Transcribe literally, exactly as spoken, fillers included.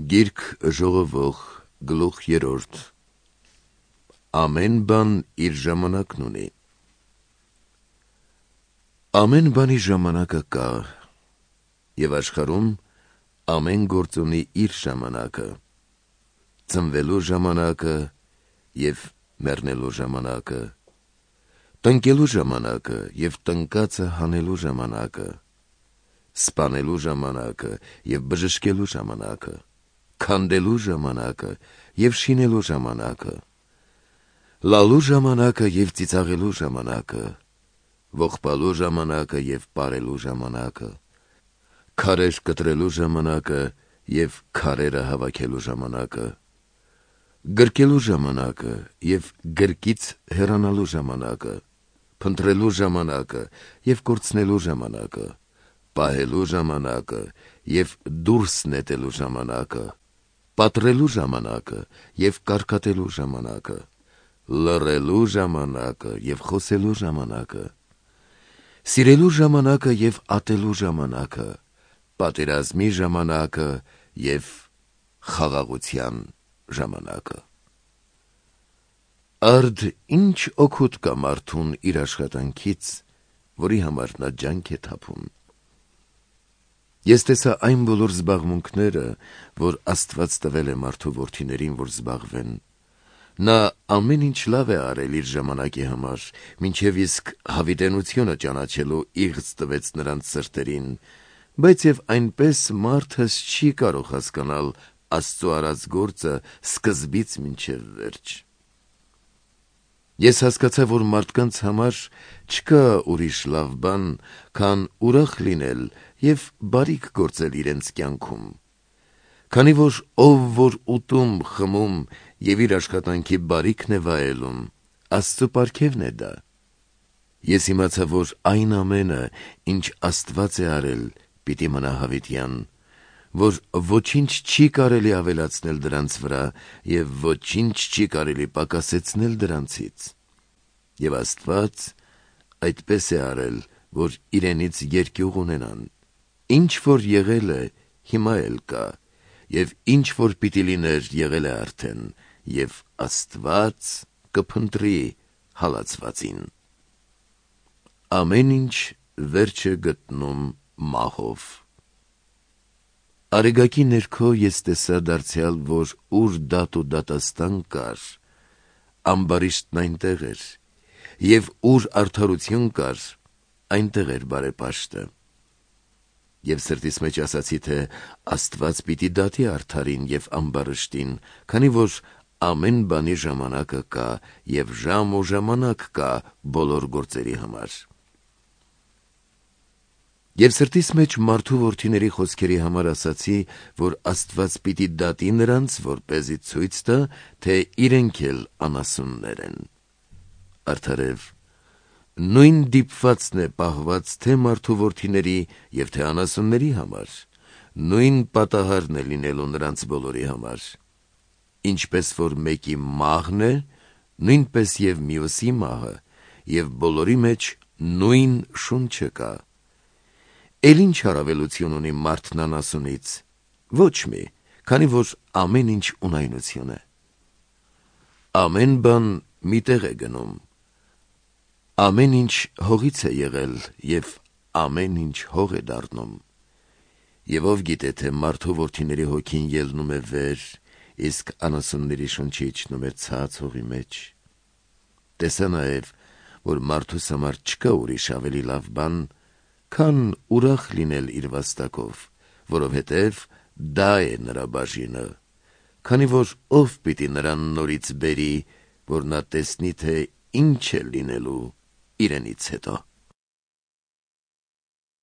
Գիրք ժողովող գլուխ երրորդ Ամեն բան իր ժամանակն ունի։ Ամեն բանի ժամանակը կա, և աշխարհում ամեն գործ ունի իր ժամանակը, ծնվելու ժամանակը և մեռնելու ժամանակը, տնկելու ժամանակը և տնկածը հանելու ժամանակը, սպանելու ժամանակը և բժշկելու ժամանակը, քանդելու ժամանակը և շինելու ժամանակը, լալու ժամանակը և ծիծաղելու ժամանակը, ողբալու ժամանակը և պարելու ժամանակը, քարեր կտրելու ժամանակը և քարերը հավաքելու ժամանակը, գրկելու ժամանակը և գրկից հեռանալու ժամանակը, փնտրելու ժամանակը և կորցնելու ժամանակը, պահելու ժամանակը և դուրս նետելու ժամանակը, պատռելու ժամանակը և կարկատելու ժամանակը, լռելու ժամանակը և խոսելու ժամանակը, սիրելու ժամանակը և ատելու ժամանակը, պատերազմի ժամանակը և խաղաղության ժամանակը։ Արդ ինչ օգուտ կա մարդուն իր աշխատանքից, որի համար նա ջանք է թափում։ Ես տեսա այն բոլոր զբաղմունքները, որ Աստված տվել է մարդու որդիներին, որ զբաղվեն։ Նա ամեն ինչ լավ է արել իր ժամանակի համար, մինչև իսկ հավիտենությունը ճանաչելու իղձ տվեց նրանց սրտերին, բայց և այնպես մարդս չի կարող հասկանալ Աստծու արած գործը սկզբից մինչև վերջ։ Ես հասկացա, որ մարդկանց համար չկա ուրիշ լավ բան, քան ուրախ լինել և բարիք գործել իրենց կյանքում, քանի որ ով որ ուտում, խմում և իր աշխատանքի բարիքն է վայելում, Աստծու պարգևն է դա։ Ես իմացա, որ այն ամենը, ինչ Աստված է արել, պիտի մնա հավիտյան, որ ոչինչ չի կարելի ավելացնել դրանց վրա և ոչինչ չի կարելի պակասեցնել դրանցից։ Եվ Աստված այդպես է արել, որ իրենից երկյուղ ունենան։ Ինչ որ եղել է, հիմա էլ կա, և ինչ որ պիտի լիներ, եղել է արդեն, և Աստված կփնտրի հալածվածին։ Ամեն ինչ վերջ է գտնում մահով։ Արեգակի ներքո ես տեսա դարձյալ, որ ուր դատ ու դատաստան կար, ամբարիշտն այնտեղ էր, և ուր արդարություն կար, այնտեղ էր բարեպաշտը։ Եվ սրտիս մեջ ասացի, թե Աստված պիտի դատի արդարին և ամբարիշտին, քանի որ ամեն բանի ժամանակը կա և ժամ ու ժամանակ կա բոլոր գործերի համար։ Եվ սրտիս մեջ մարդու որդիների խոսքերի համար ասացի, որ Աստված պիտի դատի նրանց, որպեսզի ցույց տա, թե իրենք էլ անասուններ են։ Արդարև, նույն դիպվածն է պահված թե մարդու որդիների և թե անասունների համար, նույն պատահարն է լինելու նրանց բոլորի համար։ Ինչպես որ մեկի մահն է, նույնպես և մյուսի մահը, և բոլորի մեջ նույն շունչը կա։ Էլ ինչ առավելություն ունի մարդն անասունից։ Ոչ մի, քանի որ ամեն ինչ ունայնություն է։ Ամեն բան մի տեղ է գնում։ Ամեն ինչ հողից է եղել, և ամեն ինչ հող է դառնում։ Եվ ով գիտե, թե մարդու որդիների հոգին ելնում է վեր, իսկ անասունների շունչը իջնում է ցած հողի մեջ։ Տեսա նաև, որ մարդուս համար չկա ուրիշ ավելի լավ բան, քան ուրախ լինել իր վաստակով, որովհետև դա է նրա բաժինը, քանի որ ով պիտի նրան նորից բերի, որ նա տեսնի, թե ինչ է լինելու իրենից հետո։